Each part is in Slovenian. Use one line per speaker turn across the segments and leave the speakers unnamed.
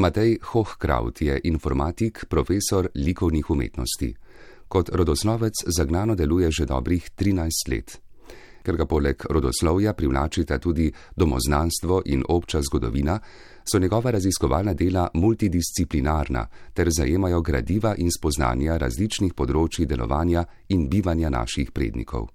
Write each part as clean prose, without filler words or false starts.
Matej Hochkraut je informatik, profesor likovnih umetnosti. Kot rodoslovec zagnano deluje že dobrih 13 let. Ker ga poleg rodoslovja privlačita tudi domoznanstvo in obča zgodovina, so njegova raziskovalna dela multidisciplinarna ter zajemajo gradiva in spoznanja različnih področij delovanja in bivanja naših prednikov.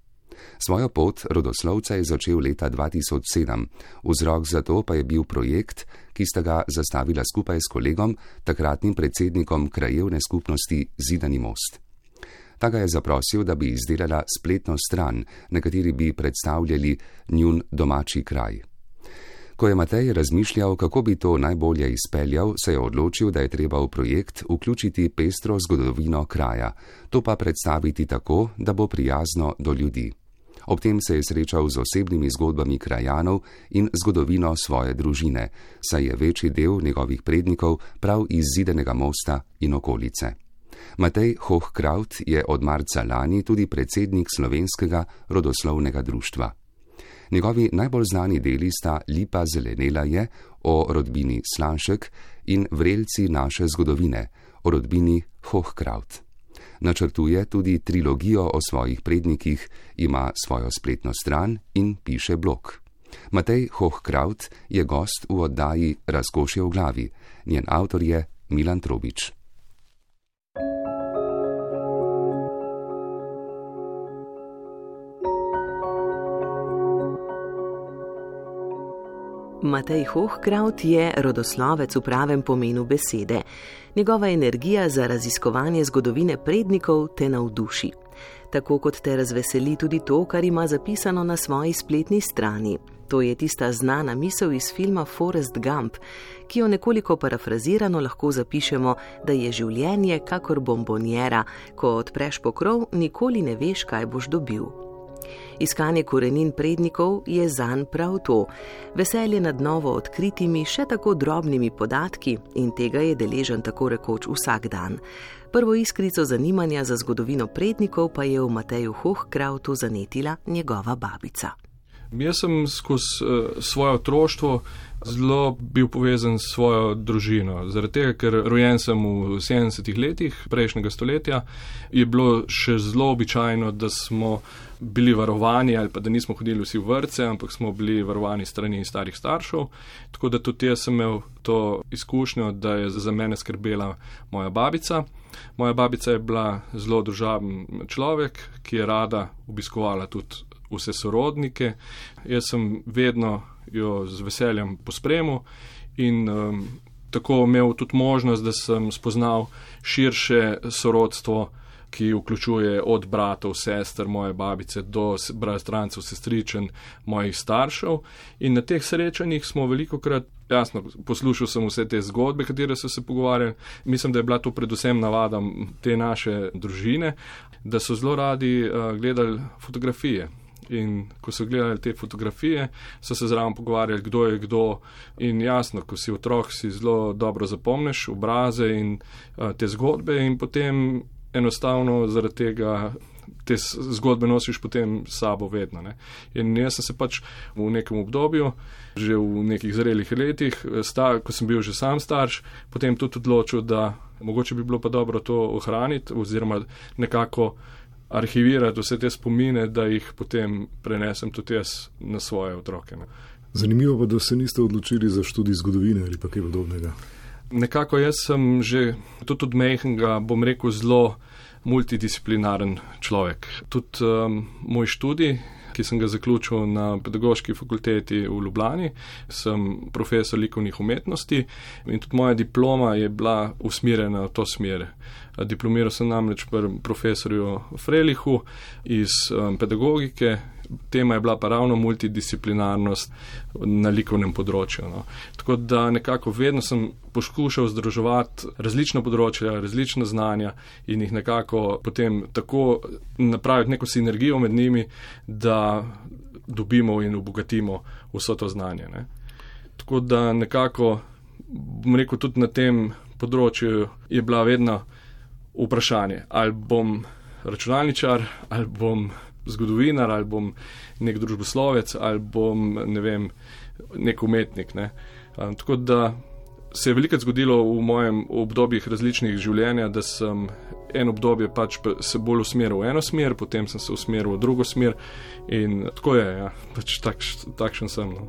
Svojo pot rodoslovca je začel leta 2007, vzrok za to pa je bil projekt, ki sta ga zastavila skupaj s kolegom, takratnim predsednikom krajevne skupnosti Zidani most. Ta ga je zaprosil, da bi izdelala spletno stran, na kateri bi predstavljali njun domači kraj. Ko je Matej razmišljal, kako bi to najbolje izpeljal, se je odločil, da je treba v projekt vključiti pestro zgodovino kraja, to pa predstaviti tako, da bo prijazno do ljudi. Ob tem se je srečal z osebnimi zgodbami krajanov in zgodovino svoje družine, saj je večji del njegovih prednikov prav iz Zidanega mosta in okolice. Matej Hochkraut je od marca lani tudi predsednik Slovenskega rodoslovnega društva. Njegovi najbolj znani deli sta Lipa zelenela je o rodbini Slanšek in Vrelci naše zgodovine o rodbini Hochkraut. Načrtuje tudi trilogijo o svojih prednikih, ima svojo spletno stran in piše blog. Matej Hochkraut je gost v oddaji Razkošje v glavi. Njen avtor je Milan Trobič.
Matej Hochkraut je rodoslovec v pravem pomenu besede. Njegova energija za raziskovanje zgodovine prednikov te navduši. Tako kot te razveseli tudi to, kar ima zapisano na svoji spletni strani. To je tista znana misel iz filma Forrest Gump, ki jo nekoliko parafrazirano lahko zapišemo, da je življenje kakor bombonjera, ko odpreš pokrov, nikoli ne veš, kaj boš dobil. Iskanje korenin prednikov je zanj prav to, veselje nad novo odkritimi, še tako drobnimi podatki in tega je deležen tako rekoč vsak dan. Prvo iskrico zanimanja za zgodovino prednikov pa je v Mateju Hochkrautu zanetila njegova babica.
Jaz sem skozi svoje otroštvo zelo bil povezan s svojo družino. Zaradi tega, ker rojen sem v 70-ih letih prejšnjega stoletja, je bilo še zelo običajno, da smo bili varovani ali pa da nismo hodili vsi v vrtce, ampak smo bili varovani strani starih staršev. Tako da tudi jaz sem imel to izkušnjo, da je za mene skrbela moja babica. Moja babica je bila zelo družaben človek, ki je rada obiskovala tudi vse sorodnike. Jaz sem vedno jo z veseljem pospremil in tako imel tudi možnost, da sem spoznal širše sorodstvo, ki vključuje od bratov, sester, moje babice do bratrancev, sestričen, mojih staršev. In na teh srečanjih smo velikokrat, jasno, poslušal sem vse te zgodbe, katere so se pogovarjali. Mislim, da je bila to predvsem navada te naše družine, da so zelo radi gledali fotografije. In ko so gledali te fotografije, so se zraven pogovarjali, kdo je kdo. In jasno, ko si otrok, si zelo dobro zapomniš obraze in te zgodbe in potem enostavno zaradi tega te zgodbe nosiš potem s sabo vedno. Ne? In jaz sem se pač v nekem obdobju, že v nekih zrelih letih, ko sem bil že sam starš, potem tudi odločil, da mogoče bi bilo pa dobro to ohraniti oziroma nekako arhivirati vse te spomine, da jih potem prenesem tudi jaz na svoje otroke. Ne.
Zanimivo pa, da se niste odločili za študij zgodovine ali pa kaj podobnega.
Nekako jaz sem že tudi od majhnega, bom rekel, zelo multidisciplinaren človek. Tudi moj študij, ki sem ga zaključil na Pedagoški fakulteti v Ljubljani, sem profesor likovnih umetnosti in tudi moja diploma je bila usmerjena v to smer. Diplomiral sem namreč pri profesorju Frelihu iz pedagogike. Tema je bila pa ravno multidisciplinarnost na likovnem področju. No. Tako da nekako vedno sem poskušal združevati različna področja, različna znanja in jih nekako potem tako napraviti neko sinergijo med njimi, da dobimo in obogatimo vso to znanje. Ne. Tako da nekako, bom rekel, tudi na tem področju je bila vedno vprašanje, ali bom računalničar, ali bom zgodovinar, ali bom nek družboslovec, ali bom, ne vem, nek umetnik. Ne. Tako da se je veliko zgodilo v mojem obdobjih različnih življenja, da sem en obdobje pač se bolj usmeril v eno smer, potem sem se usmeril v drugo smer in tako je, ja, pač takšen sem. No.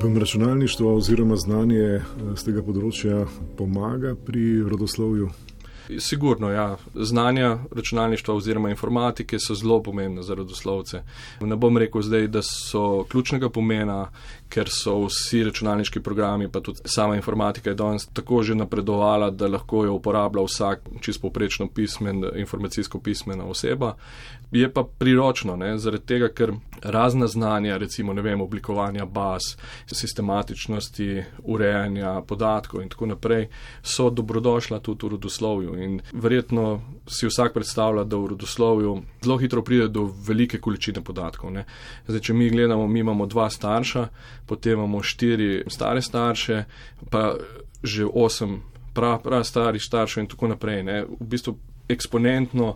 Vam računalništvo oziroma znanje z tega področja pomaga pri rodoslovju?
Sigurno, ja. Znanja računalništva oziroma informatike so zelo pomembne za rodoslovce. Ne bom rekel zdaj, da so ključnega pomena, ker so vsi računalniški programi, pa tudi sama informatika je danes tako že napredovala, da lahko jo uporablja vsak čisto povprečno informacijsko pismena oseba. Je pa priročno, ne, zaradi tega, ker razna znanja, recimo, ne vem, oblikovanja baz, sistematičnosti, urejanja podatkov in tako naprej, so dobrodošla tudi v rodoslovju. In verjetno si vsak predstavlja, da v rodoslovju zelo hitro pride do velike količine podatkov. Ne. Zdaj, če mi gledamo, mi imamo 2 starša, potem imamo 4 stare starše, pa že 8 prav starih staršev in tako naprej. Ne. V bistvu eksponentno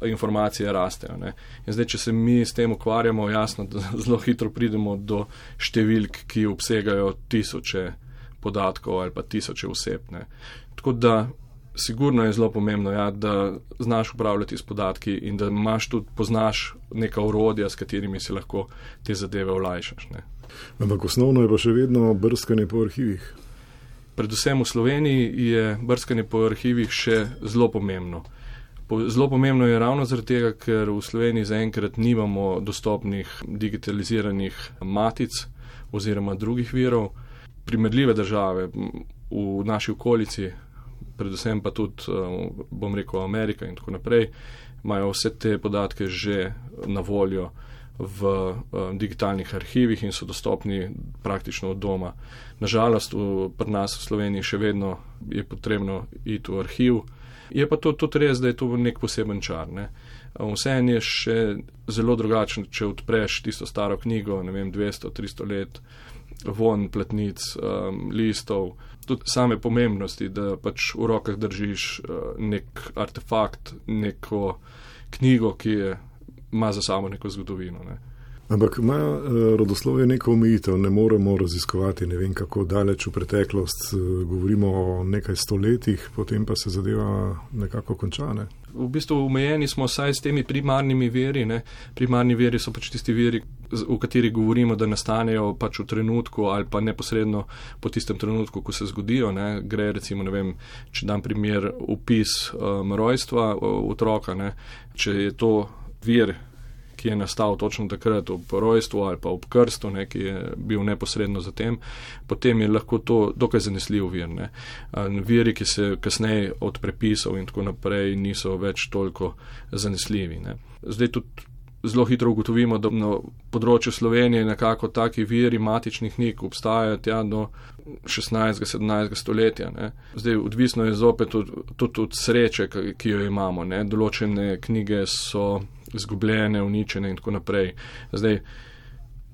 informacije rastejo. Ne. In zdaj, če se mi s tem ukvarjamo, jasno, da zelo hitro pridemo do številk, ki obsegajo tisoče podatkov ali pa tisoče oseb. Ne. Tako da sigurno je zelo pomembno, ja, da znaš upravljati s podatki in da poznaš neka orodja, s katerimi si lahko te zadeve olajšaš. Ne.
Ampak osnovno je pa še vedno brskanje po arhivih.
Predvsem v Sloveniji je brskanje po arhivih še zelo pomembno. Zelo pomembno je ravno zaradi tega, ker v Sloveniji zaenkrat nimamo dostopnih digitaliziranih matic oziroma drugih virov. Primerljive države v naši okolici, predvsem pa tudi, bom rekel, Amerika in tako naprej, imajo vse te podatke že na voljo v digitalnih arhivih in so dostopni praktično od doma. Nažalost, pri nas v Sloveniji še vedno je potrebno iti v arhiv. Je pa to tudi res, da je to nek poseben čar. Ne. Vseeno je še zelo drugačen, če odpreš tisto staro knjigo, ne vem, 200-300 let, von platnic, listov, tudi same pomembnosti, da pač v rokah držiš nek artefakt, neko knjigo, ki ima za sabo neko zgodovino. Ne.
Ampak ima rodoslovje neko omejitev, ne moremo raziskovati ne vem kako daleč v preteklost, govorimo o nekaj stoletjih, potem pa se zadeva nekako konča. Ne?
V bistvu omejeni smo saj s temi primarnimi viri. Ne? Primarni viri so pač tisti viri, v kateri govorimo, da nastanejo pač v trenutku ali pa neposredno po tistem trenutku, ko se zgodijo. Ne? Gre recimo, ne vem, če dam primer opis rojstva otroka, ne? Če je to vir, ki je nastal točno takrat ob rojstvu ali pa ob krstu, ne, ki je bil neposredno zatem, potem je lahko to dokaj zanesljiv vir. Ne. Viri, ki se kasneje od prepisov in tako naprej niso več toliko zanesljivi. Ne. Zdaj tudi zelo hitro ugotovimo, da na področju Slovenije nekako taki viri matičnih knjig obstajajo tja do 16. 17. stoletja. Ne. Zdaj odvisno je zopet tudi od sreče, ki jo imamo. Ne. Določene knjige so izgubljene, uničene in tako naprej. Zdaj,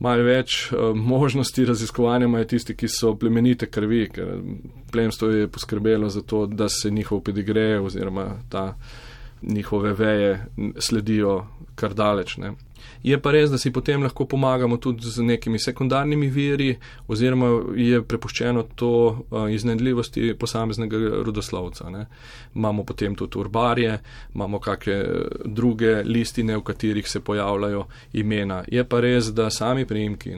malo več možnosti raziskovanja imajo tisti, ki so plemenite krvi, ker plemstvo je poskrbelo za to, da se njihov pedigre oziroma njihove veje sledijo kar daleč. Ne. Je pa res, da si potem lahko pomagamo tudi z nekimi sekundarnimi viri oziroma je prepuščeno to iznajdljivosti posameznega rodoslovca. Ne. Imamo potem tudi urbarje, imamo kakšne druge listine, v katerih se pojavljajo imena. Je pa res, da sami priimki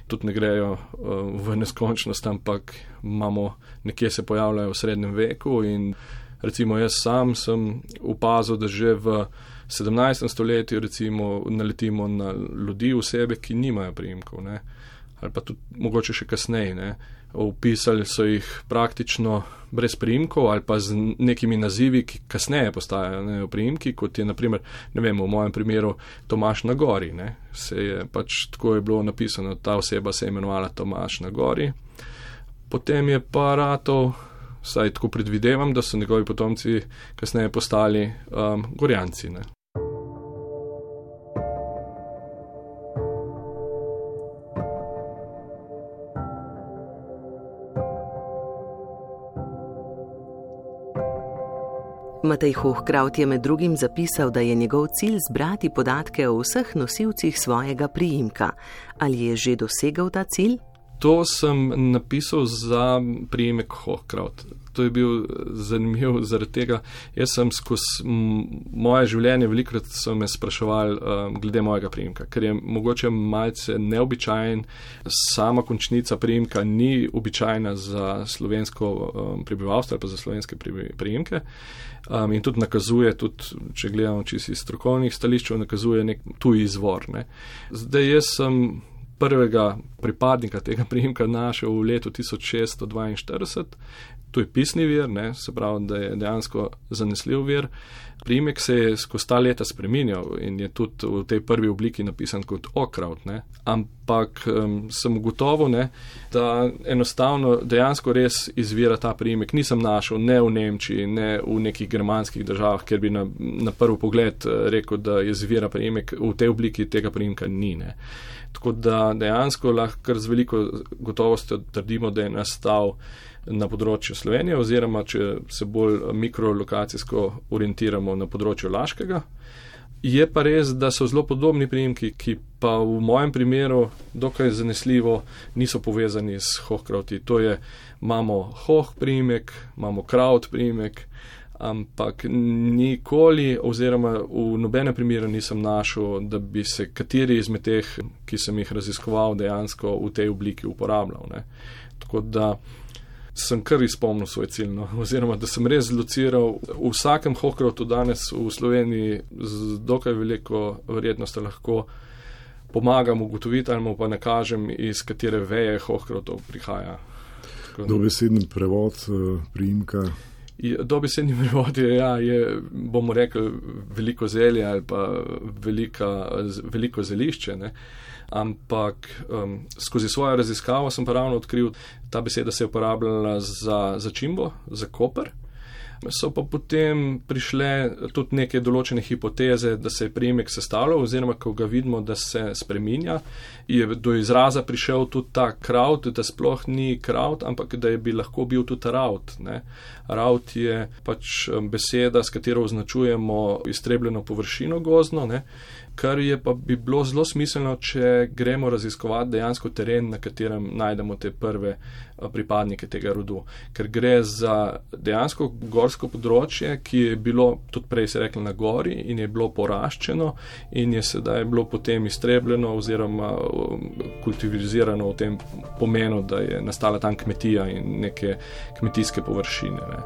tudi ne grejo v neskončnost, ampak nekje se pojavljajo v srednjem veku in recimo jaz sam sem opazil, da že v 17. stoletju recimo naletimo na ljudi, osebe, ki nimajo priimkov, ne. Ali pa tudi mogoče še kasneje. Ne. Opisali so jih praktično brez priimkov ali pa z nekimi nazivi, ki kasneje postajajo priimki, kot je naprimer, ne vem, v mojem primeru Tomaž na gori. Ne. Se je pač tako je bilo napisano, ta oseba se je imenovala Tomaž na gori. Potem je pa ratov, saj tako predvidevam, da so njegovi potomci kasneje postali Gorjanci. Ne.
Matej Hohkraut je med drugim zapisal, da je njegov cilj zbrati podatke o vseh nosilcih svojega priimka. Ali je že dosegel ta cilj?
To sem napisal za priimek Hohkraut. To je bil zanimiv zaradi tega. Jaz sem skozi moje življenje velikokrat so me spraševali glede mojega priimka, ker je mogoče malce neobičajen. Sama končnica priimka ni običajna za slovensko prebivalstvo ali pa za slovenske priimke. In tudi nakazuje, če gledamo čisto iz strokovnih stališčev, nakazuje nek tuj izvor. Ne. Zdaj jaz sem prvega pripadnika tega priimka našel v letu 1642. To je pisni vir, ne, se pravi, da je dejansko zanesljiv vir. Priimek se je skozi ta leta spreminjal in je tudi v tej prvi obliki napisan kot Okraut. Ne. Ampak sem ugotovil, ne, da enostavno dejansko res izvira ta priimek. Nisem našel ne v Nemčiji, ne v nekih germanskih državah, kjer bi na prvi pogled rekel, da izvira priimek v tej obliki, tega priimka ni. Ne. Tako da dejansko lahko kar z veliko gotovostjo trdimo, da je nastal na področju Slovenije oziroma, če se bolj mikrolokacijsko orientiramo na področju Laškega. Je pa res, da so zelo podobni priimki, ki pa v mojem primeru dokaj zanesljivo niso povezani s Hohkrauti. To je, imamo Hoh priimek, imamo Kraut priimek, ampak nikoli oziroma v nobenem primeru nisem našel, da bi se kateri izmed teh, ki sem jih raziskoval, dejansko v tej obliki uporabljal. Ne. Tako da sem kar izpolnil svoj cilj, no. Oziroma, da sem res zlociral v vsakem Hohkrautu danes v Sloveniji z dokaj veliko verjetnostjo lahko pomagam ugotoviti ali mu pa nakažem, iz katere veje Hohkrautov prihaja.
Dobesedni prevod priimka.
Dobesedni prevod je, bomo rekli, veliko zelje ali pa veliko zelišče, ne. Ampak skozi svojo raziskavo sem pa ravno odkril, ta beseda se je uporabljala za začimbo, za koper. So pa potem prišle tudi neke določene hipoteze, da se je priimek sestavljal oziroma, ko ga vidimo, da se spreminja, je do izraza prišel tudi ta kraut, da sploh ni kraut, ampak da bi lahko bil tudi raut. Ne. Raut je pač beseda, s katero označujemo iztrebljeno površino gozdno, ne, kar je pa bi bilo zelo smiselno, če gremo raziskovati dejansko teren, na katerem najdemo te prve pripadnike tega rodu. Ker gre za dejansko gorsko področje, ki je bilo, tudi prej se rekli, na gori in je bilo poraščeno in je sedaj bilo potem iztrebljeno oziroma kultivizirano v tem pomenu, da je nastala tam kmetija in neke kmetijske površine. Ne.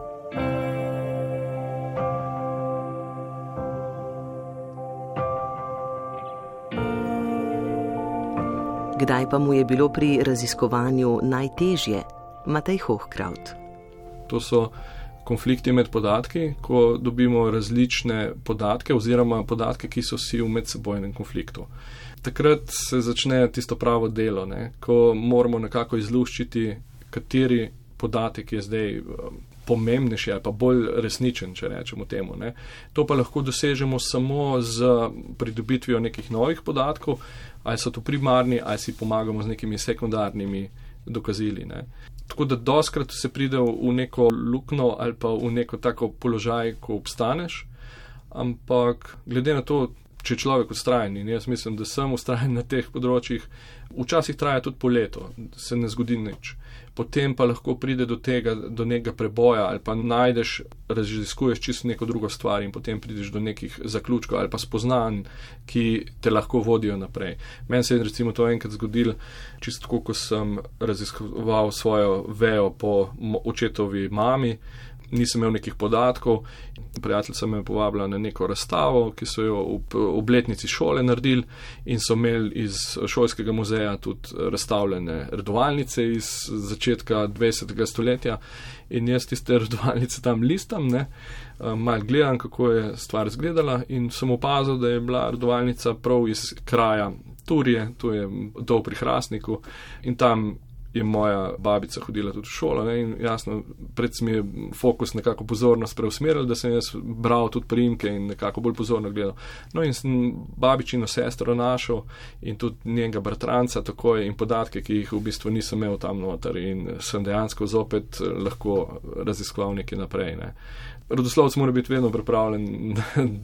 Kdaj pa mu je bilo pri raziskovanju najtežje? Matej Hohkraut.
To so konflikti med podatki, ko dobimo različne podatke oziroma podatke, ki so vsi v medsebojnem konfliktu. Takrat se začne tisto pravo delo, ne, ko moramo nekako izluščiti, kateri podatek je zdaj pomembnejši ali pa bolj resničen, če rečemo temu. Ne. To pa lahko dosežemo samo z pridobitvijo nekih novih podatkov, ali so to primarni, ali si pomagamo z nekimi sekundarnimi dokazili. Ne. Tako da doskrat se pride v neko luknjo ali pa v neko tako položaj, ko obstaneš, ampak glede na to, če človek vztrajen, in jaz mislim, da sem vztrajen na teh področjih, včasih traja tudi po leto, se ne zgodi nič. Potem pa lahko pride do tega, do nekega preboja ali pa najdeš, raziskuješ čisto neko drugo stvar in potem prideš do nekih zaključkov ali pa spoznanj, ki te lahko vodijo naprej. Meni se je recimo to enkrat zgodilo, čisto tako, ko sem raziskoval svojo vejo po očetovi mami, nisem imel nekih podatkov. Prijateljica me je povabila na neko razstavo, ki so jo v obletnici šole naredili in so imeli iz šolskega muzeja tudi razstavljene redovalnice iz začetka 20. stoletja in jaz tiste redovalnice tam listam, ne, malo gledam, kako je stvar izgledala in sem opazil, da je bila redovalnica prav iz kraja Turije, to je dol pri Hrastniku in tam je moja babica hodila tudi v šolo, ne, in jasno, predvsem je fokus nekako pozornost preusmeril, da sem jaz bral tudi priimke in nekako bolj pozorno gledal. No in sem babičino sestro našel in tudi njenega bratranca takoj in podatke, ki jih v bistvu nisem imel tam noter in sem dejansko zopet lahko raziskoval nekaj naprej. Ne. Rodoslovec mora biti vedno pripravljen,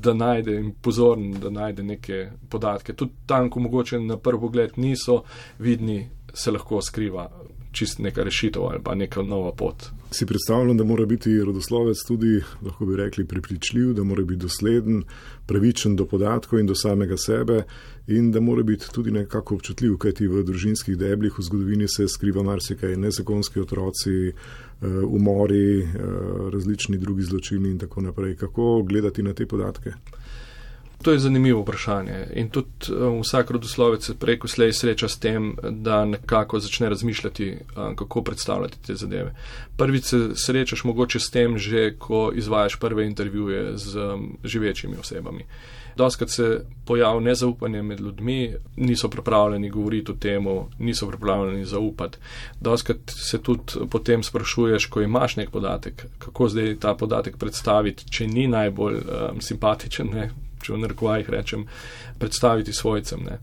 da najde in pozoren, da najde neke podatke. Tudi tam, ko mogoče na prvi pogled niso vidni, se lahko skriva čist neka rešitev ali pa neka nova pot.
Si predstavljam, da mora biti rodoslovec tudi, lahko bi rekli, prepričljiv, da mora biti dosleden, pravičen do podatkov in do samega sebe in da mora biti tudi nekako občutljiv, kajti v družinskih deblih v zgodovini se skriva marsikaj, nezakonski otroci, umori, različni drugi zločini in tako naprej. Kako gledati na te podatke?
To je zanimivo vprašanje in tudi vsak rodoslovec se prej ko slej sreča s tem, da nekako začne razmišljati, kako predstavljati te zadeve. Prvič se srečaš mogoče s tem že, ko izvajaš prve intervjuje z živečimi osebami. Dostikrat se pojavi nezaupanje med ljudmi, niso pripravljeni govoriti o temu, niso pripravljeni zaupati. Dostikrat se tudi potem sprašuješ, ko imaš nek podatek, kako zdaj ta podatek predstaviti, če ni najbolj simpatičen, ne? Če v narekovajih rečem, predstaviti svojcem. Ne.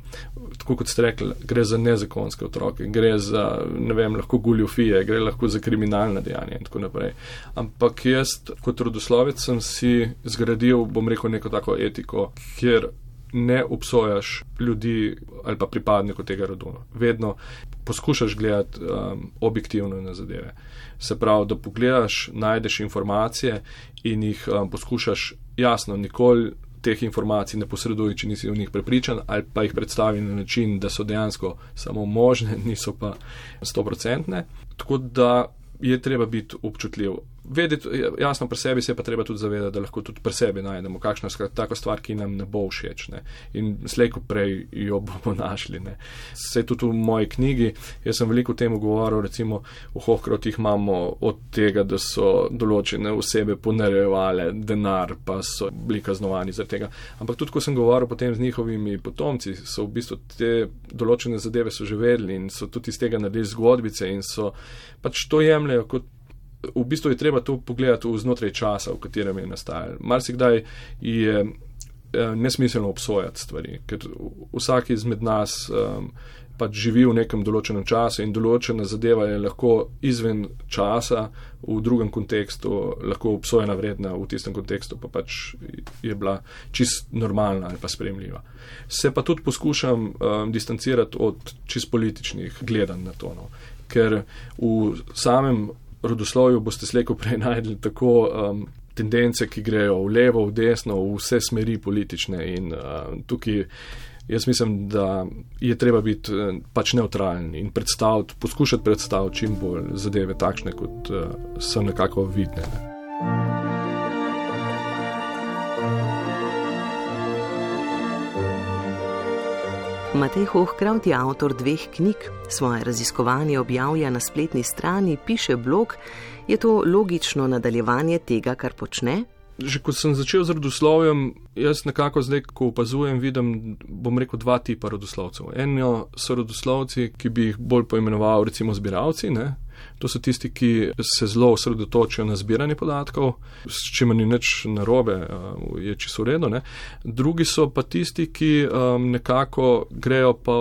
Tako kot ste rekli, gre za nezakonske otroke, gre za, ne vem, lahko goljufije, gre lahko za kriminalna dejanja in tako naprej. Ampak jaz kot rodoslovec sem si zgradil, bom rekel, neko tako etiko, kjer ne obsojaš ljudi ali pa pripadnikov tega rodu. Vedno poskušaš gledati objektivno na zadeve. Se pravi, da pogledaš, najdeš informacije in jih poskušaš jasno, nikoli teh informacij ne posreduj, če nisi v njih prepričan, ali pa jih predstavi na način, da so dejansko samo možne, niso pa 100%. Tako da je treba biti občutljiv. Vedeti, jasno, pri sebi se pa treba tudi zavedati, da lahko tudi pri sebi najdemo kakšno tako stvar, ki nam ne bo všeč. Ne. In slej ko prej jo bomo našli. Ne. Saj tudi v moji knjigi, jaz sem veliko o tem govoril, recimo v Hohkrotih imamo od tega, da so določene osebe ponarejevale denar, pa so bili kaznovani zaradi tega. Ampak tudi, ko sem govoril potem z njihovimi potomci, so v bistvu te določene zadeve so že vedeli in so tudi iz tega naredili zgodbice in so pač to jemljajo kot. V bistvu je treba to pogledati znotraj časa, v katerem je nastajal. Marsikdaj je nesmiselno obsojati stvari, ker vsak izmed nas pač živi v nekem določenem času in določena zadeva je lahko izven časa, v drugem kontekstu, lahko obsojena vredna, v tistem kontekstu pa pač je bila čist normalna ali pa sprejemljiva. Se pa tudi poskušam distancirati od čist političnih gledanj na to, no. Ker v samem rodoslovju boste slejko prej najdli tako tendence, ki grejo v levo, v desno, v vse smeri politične in tukaj jaz mislim, da je treba biti pač neutralen in poskušati predstaviti čim bolj zadeve takšne, kot so nekako vidne.
Matej Hohkraut je avtor 2 knjig. Svoje raziskovanje objavlja na spletni strani, piše blog. Je to logično nadaljevanje tega, kar počne?
Že ko sem začel z rodoslovjem, jaz nekako zdaj, ko opazujem, vidim, bom rekel, 2 tipa rodoslovcev. Eno so rodoslovci, ki bi jih bolj poimenoval recimo zbiralci, ne? To so tisti, ki se zelo osredotočijo na zbiranje podatkov, s čimer ni nič narobe, je čisto v redu. Ne? Drugi so pa tisti, ki nekako grejo pa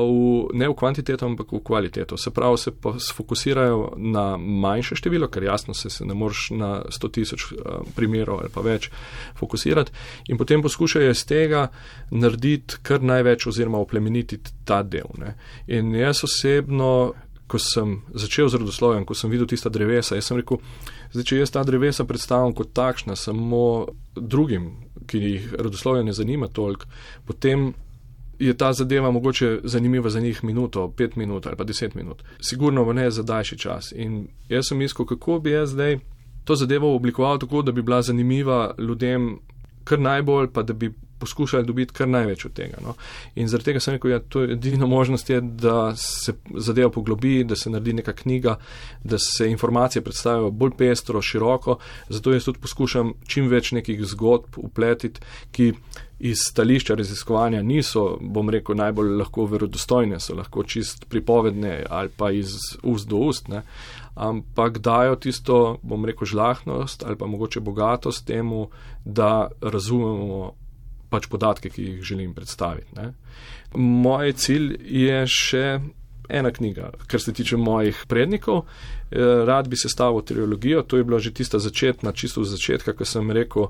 ne v kvantiteto, ampak v kvaliteto. Se pravi, se pa sfokusirajo na manjše število, ker jasno se ne moreš na 100,000 primerov ali pa več fokusirati in potem poskušajo iz tega narediti kar največ oziroma oplemenititi ta del. Ne? In jaz osebno, ko sem začel z rodoslovjem, ko sem videl tista drevesa, jaz sem rekel, zdaj, če jaz ta drevesa predstavljam kot takšna samo drugim, ki jih rodoslovje ne zanima toliko, potem je ta zadeva mogoče zanimiva za njih minuto, 5 minut ali pa 10 minut. Sigurno pa ne za daljši čas. In jaz sem iskal, kako bi jaz zdaj to zadevo oblikoval tako, da bi bila zanimiva ljudem kar najbolj, pa da bi poskušali dobiti kar največ od tega. No. In zaradi tega sem rekel, ja, to je edina možnost je, da se zadeva poglobi, da se naredi neka knjiga, da se informacije predstavijo bolj pestro, široko, zato jaz tudi poskušam čim več nekih zgodb upletiti, ki iz stališča raziskovanja niso, bom rekel, najbolj lahko verodostojne, so lahko čist pripovedne ali pa iz ust do ust, ne. Ampak dajo tisto, bom rekel, žlahtnost ali pa mogoče bogatost temu, da razumemo pač podatke, ki jih želim predstaviti. Ne. Moj cilj je še ena knjiga, kar se tiče mojih prednikov. Rad bi sestavil trilogijo, to je bila že tista začetna, čisto v začetka, ko sem rekel,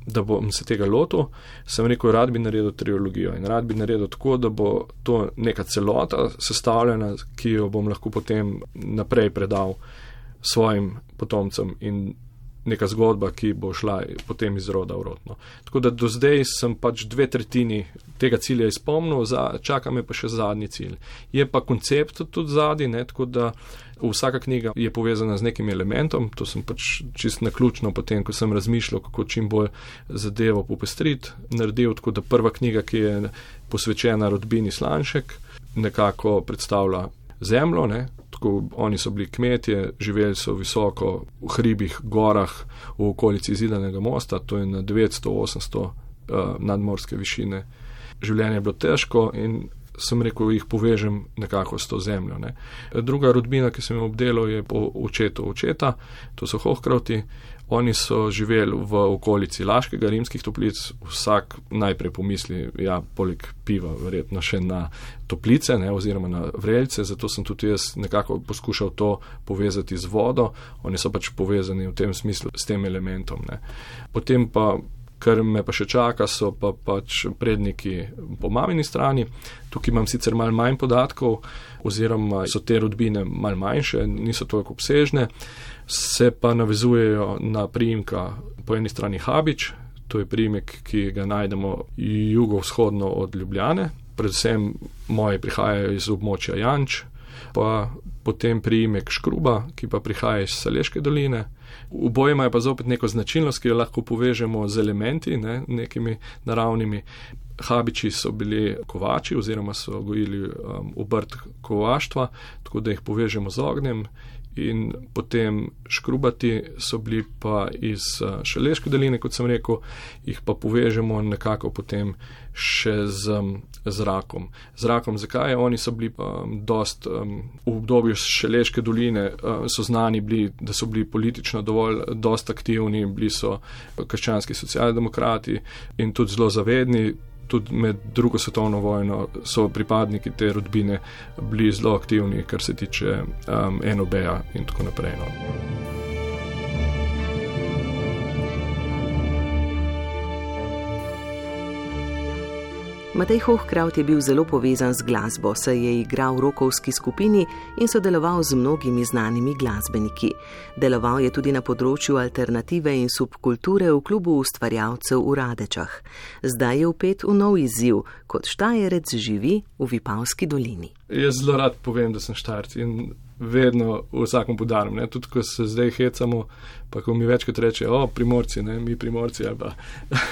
da bom se tega lotil, sem rekel, rad bi naredil trilogijo in rad bi naredil tako, da bo to neka celota sestavljena, ki jo bom lahko potem naprej predal svojim potomcem in neka zgodba, ki bo šla potem iz roda v rod. No. Tako da do zdaj sem pač 2/3 tega cilja izpolnil, čaka me pa še zadnji cilj. Je pa koncept tudi zadnji, ne, tako da vsaka knjiga je povezana z nekim elementom, to sem pač čist naključno potem, ko sem razmišljal, kako čim bolj zadevo popestriti, naredil, tako da prva knjiga, ki je posvečena rodbini Slanšek, nekako predstavlja zemljo, ne. Tako, oni so bili kmetje, živeli so visoko v hribih, gorah, v okolici Zidanega mosta, to je na 900-800 nadmorske višine. Življenje je bilo težko in sem rekel, jih povežem nekako s to zemljo. Ne. Druga rodbina, ki sem jo obdelal, je po očetu očeta, to so Hohkrauti. Oni so živeli v okolici Laškega, Rimskih Toplic, vsak najprej pomisli, ja, poleg piva, verjetno še na toplice, ne, oziroma na vrelce, zato sem tudi jaz nekako poskušal to povezati z vodo, oni so pač povezani v tem smislu s tem elementom. Ne. Potem pa, kar me pa še čaka, so pa pač predniki po mamini strani, tukaj imam sicer malo manj podatkov, oziroma so te rodbine malo manjše, niso toliko obsežne, se pa navezujejo na priimka po eni strani Habič, to je priimek, ki ga najdemo jugovzhodno od Ljubljane, predvsem moji prihajajo iz območja Janč, pa potem priimek Škruba, ki pa prihaja iz Šaleške doline. Oboje imajo pa zopet neko značilnost, ki jo lahko povežemo z elementi, ne, nekimi naravnimi. Habiči so bili kovači oziroma so gojili obrt kovaštva, tako da jih povežemo z ognjem. In potem Škrubati so bili pa iz Šaleške doline, kot sem rekel, jih pa povežemo nekako potem še z zrakom. Zrakom, zakaj? Oni so bili dost v obdobju Šaleške doline, so znani bili, da so bili politično dost aktivni, bili so krščanski socialdemokrati in tudi zelo zavedni. Tudi med drugo svetovno vojno so pripadniki te rodbine bili zelo aktivni, kar se tiče NOB-ja in tako naprej. No.
Matej Hohkraut je bil zelo povezan z glasbo, saj je igral v rokovski skupini in sodeloval z mnogimi znanimi glasbeniki. Deloval je tudi na področju alternative in subkulture v klubu ustvarjalcev v Radečah. Zdaj je vpet v nov izziv, kot Štajerec živi v Vipavski dolini.
Jaz zelo rad povem, da sem Štajerec in vedno v vsakom podarim, ne, tudi ko se zdaj hecamo, pa ko mi večkrat reče, Primorci, ne, mi Primorci, ali pa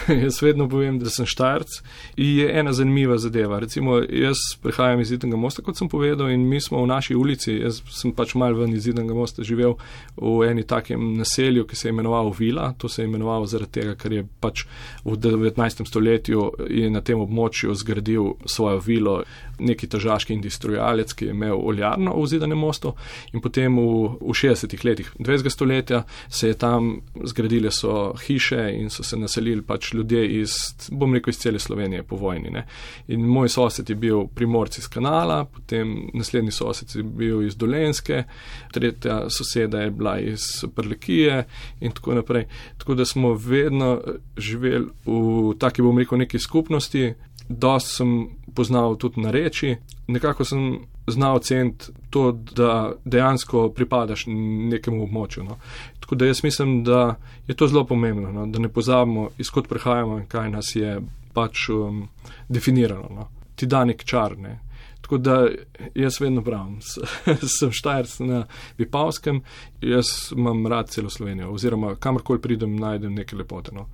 jaz vedno povem, da sem Štajerec. In je ena zanimiva zadeva. Recimo, jaz prihajam iz Zidanega mosta, kot sem povedal, in mi smo v naši ulici, jaz sem pač malo ven iz Zidanega mosta živel v eni takem naselju, ki se je imenoval Vila, to se je imenoval zaradi tega, ker je pač v 19. stoletju je na tem območju zgradil svojo vilo neki tržaški industrialec, ki je imel oljarno v Zidanem mostu. In potem v 60. letih 20. stoletja se je tam zgradile so hiše in so se naselili pač ljudje iz, bom rekel, iz cele Slovenije po vojni. Ne. In moj sosed je bil Primorci iz Kanala, potem naslednji sosed je bil iz Dolenjske, tretja soseda je bila iz Prlekije in tako naprej. Tako da smo vedno živeli v taki, bom rekel, neki skupnosti. Dost sem poznal tudi nareči, nekako sem znal ceniti to, da dejansko pripadaš nekemu območju. No. Tako da jaz mislim, da je to zelo pomembno, no, da ne pozabimo, izkot prihajamo in kaj nas je pač definirano. No. Ti da nek čar, ne. Tako da jaz vedno pravim, sem Štajerec na Vipavskem, jaz imam rad celo Slovenijo, oziroma kamorkoli pridem, najdem neke lepote. No.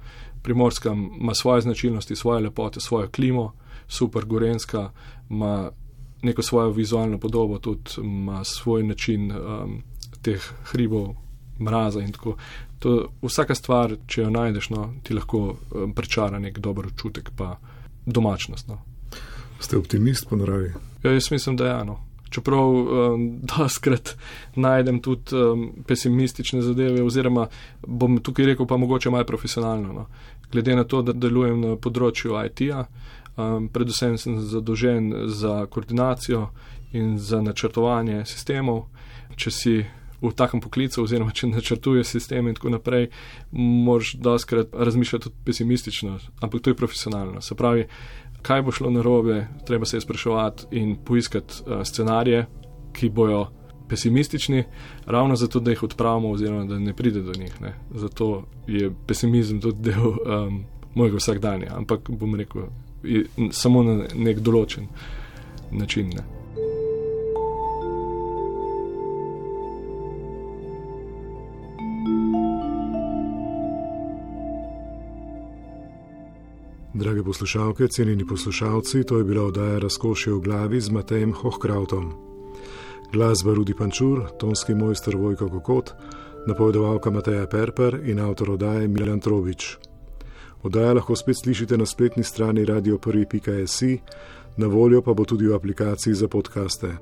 Primorska ima svoje značilnosti, svoje lepote, svojo klimo, super Gorenjska ima neko svojo vizualno podobo, tudi ima svoj način teh hribov, mraza in tako. Vsaka stvar, če jo najdeš, ti lahko prečara nek dober občutek pa domačnost.
Ste optimist po naravi?
Ja, jaz mislim, da je. Čeprav doskrat najdem tudi pesimistične zadeve, oziroma bom tukaj rekel pa mogoče malo profesionalno. Glede na to, da delujem na področju IT-ja, predvsem sem zadolžen za koordinacijo in za načrtovanje sistemov. Če si v takem poklicu, oziroma če načrtuješ sisteme in tako naprej, moraš doskrat razmišljati tudi pesimistično, ampak to je profesionalno. Se pravi, kaj bo šlo narobe, treba se je spraševati in poiskati scenarije, ki bojo pesimistični, ravno zato, da jih odpravimo oziroma da ne pride do njih. Zato je pesimizem tudi del mojega vsakdanja, ampak bom rekel, samo na nek določen način.
Drage poslušalke, cenjeni poslušalci, to je bila oddaja Razkošje v glavi z Matejem Hohkrautom. Glasba Rudi Pančur, tonski mojster Vojko Kokot, napovedovalka Mateja Perper in avtor oddaje Milan Trobič. Oddaja lahko spet slišite na spletni strani radio1.si, na voljo pa bo tudi v aplikaciji za podcaste.